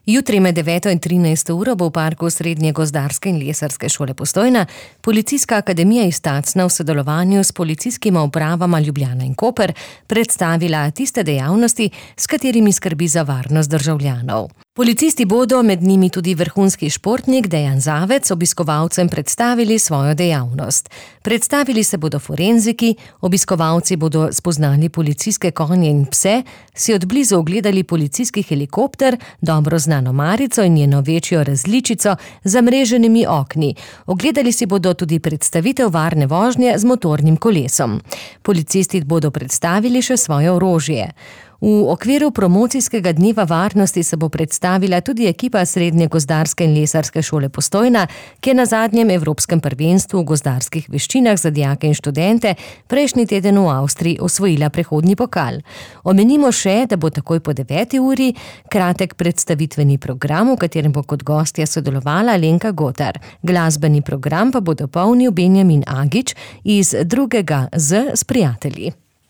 Jutri med 9 in 13 uro bo v parku Srednje gozdarske in lesarske šole Postojna Policijska akademija iz Tacna v sodelovanju s policijskima upravama Ljubljana in Koper predstavila tiste dejavnosti, s katerimi skrbi za varnost državljanov. Policisti bodo, med njimi tudi vrhunski športnik Dejan Zavec, obiskovalcem predstavili svojo dejavnost. Predstavili se bodo forenziki, obiskovalci bodo spoznali policijske konje in pse, si od blizu ogledali policijski helikopter, dobro znano marico in njeno večjo različico z zamreženimi okni. Ogledali si bodo tudi predstavitev varne vožnje z motornim kolesom. Policisti bodo predstavili še svoje orožje. V okviru promocijskega dneva varnosti se bo predstavila tudi ekipa Srednje gozdarske in lesarske šole Postojna, ki je na zadnjem evropskem prvenstvu v gozdarskih veščinah za dijake in študente prejšnji teden v Avstriji osvojila prehodni pokal. Omenimo še, da bo takoj po 9. uri kratek predstavitveni program, v katerem bo kot gostja sodelovala Alenka Gotar. Glasbeni program pa bo dopolnil Benjamin Agič iz 2. Z s prijatelji.